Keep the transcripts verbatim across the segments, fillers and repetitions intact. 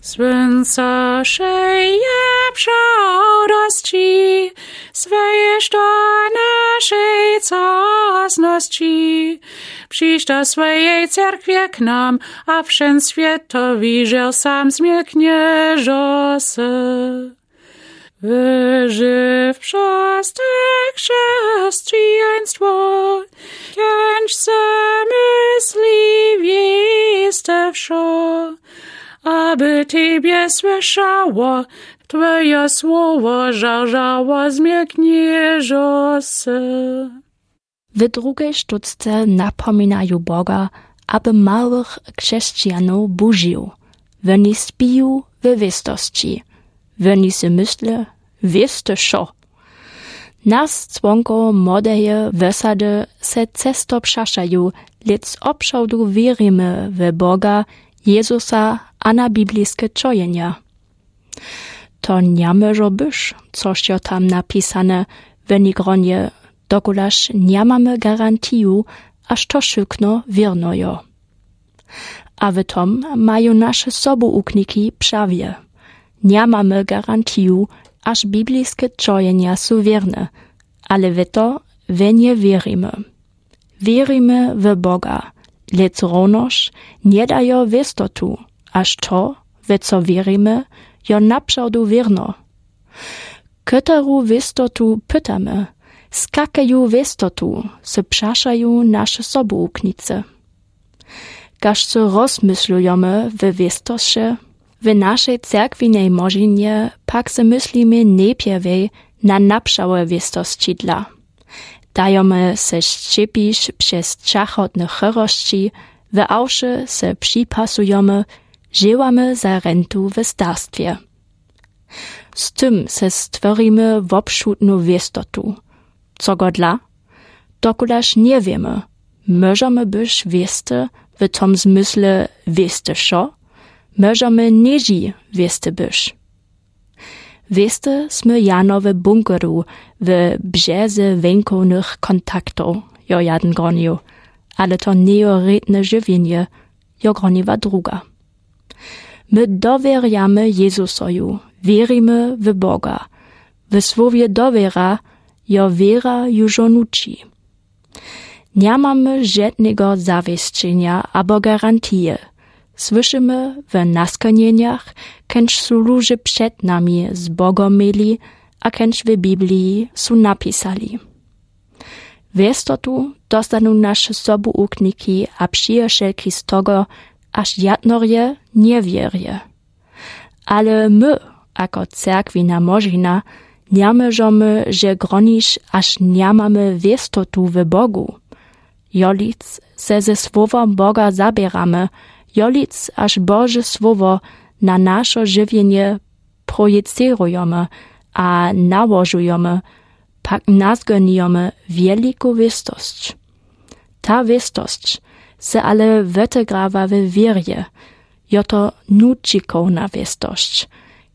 Słónco szeje przodosci, swejeż do naszej cosnosci. Przińdź do swojej cerkwie k nam, a wszen swiat to wiżel sam zmieknieżo se. Wyżej w czas te chrześcijaństwo, kędź se myśli wieste wszo, aby tebie słyszało, twoje słowo żarżało zmieknieżo se. W drugej sztuczce napominaju Boga, aby małych krzesćijanow budził. Woni spiju we wěstosći. Woni se mysle, wěste wšo. Nas, członkow młodeje wysady, se često přašaju, lec woprawdu wěrimy we Boga, Jezusa a na bibliske čojenja. To njamóžo być, což jo tam napisane, w jejich gronje, dokulaž njamamy garantiju, až to wšukno wěrno jo. A w tom maju naše sobuukniki prawje. Njamamy garantiju, až bibliske čojenja su wěrne, ale w to w nje wěrimy. Wěrimy w Boga, lec równoż nje dajo wěstotu, až to, w co wěrimy, jo naprawdu wěrno. Koteru wěstotu pytamy, z kakeju wěstotu, se přašaju naše sobuuknicy. Kaž so rozmyšlujemy w wěstosće, w našej cerkwinej młožinje pak se myslimy njeprwej na naprawne wěstosćidla. Dajomy se šćěpić přez čachotne chorosći, w awše se připasujemy, dźěłamy za rentu w starstwje. Z tym se stworimy wopšutnu wěstotu. Cogodla? Dokulaž nje wěmy, móžemy być wěste w tom zmysle wěste wšo, móžemy něždźi wěste być. Wěste smy jano w bunkeru, w brzeze wjenkownych kontaktow, jo jeden gronił, ale to njejo rědne žiwjenje, jo groniła druga. My dowěrjamy Jezusoju, wěrimy w Boga. W słowje dowěra jo wěra južo nući. Njamamy žednego zawěsćenja abo garantije. Słyszymy w naskonjenjach, kędź su luźe před nami z Bogom měli a kędź w Bibliji su napisali. Wěstotu dostanu naše sobuukniki a přiješelki z togo, až jadnorje nje wěrje. Ale my, ako cerkwina młožina, njamóžemy że gronić, až njamamy wěstotu w Bogu. Jolic se ze słowom Boga zaběramy, jolic, až Bože słowo na našo žiwjenje projicěrujemy a nałožujemy, pak nazgonijemy wjeliku wěstosć. Ta wěstosć se ale wótegrawa we wěrje, jo to nućikowna wěstosć,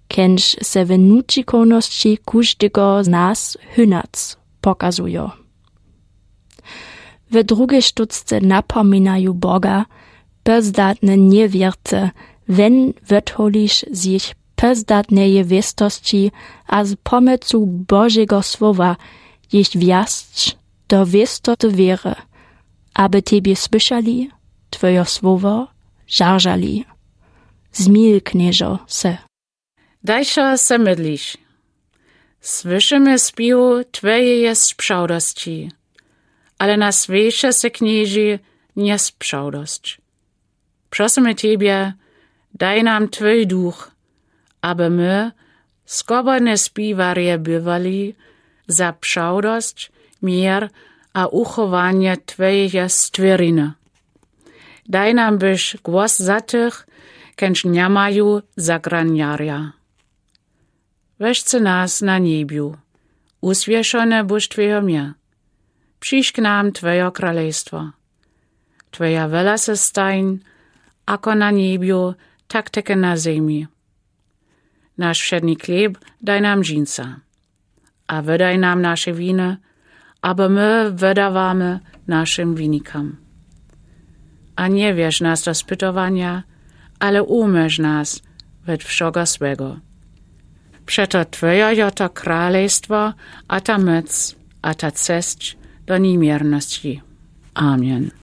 kędź se w nućikownosći kóżdego z nas hynac pokazujo. W drugej sztucce napominaju Boga, pózdatne njewěrce, wen wódholiš z jich pózdatneje wěstosći a z pomocą Božego słowa jich wjasć do wěstoty wěry, aby tebie słyszali, twojo słowo żarżali. Zmilknjeżo se. Dajšo se mydliš. Słyszymy spiw twojeje sprzałdosći, ale nas wěše se knježi njesprzałdosć. Prosymy tebie, daj nam twój duch, aby my, skobodne spiwarje, bywali za przałdosć, mir a uchowanje twojeje stwěriny. Daj nam być głos za tych, kędź njamaju zagranjarja. Wešcy nas na njebju, uswěšone buš twojo mie. Přińdź k nam twojo kralejstwo. Twoja wola se stań, ako na njebju, tak teky na zemi. Naš wšedny chleb daj nam dźinsa. A wydaj nam naše winy, abo my wydawamy našim winikam. A njewjedź nas do spytowanja, ale umóż nas òd wszëgo złégò. Przeto twòje je to królestwò, a ta mòc, a ta czesc do niemiernosczi. Amen.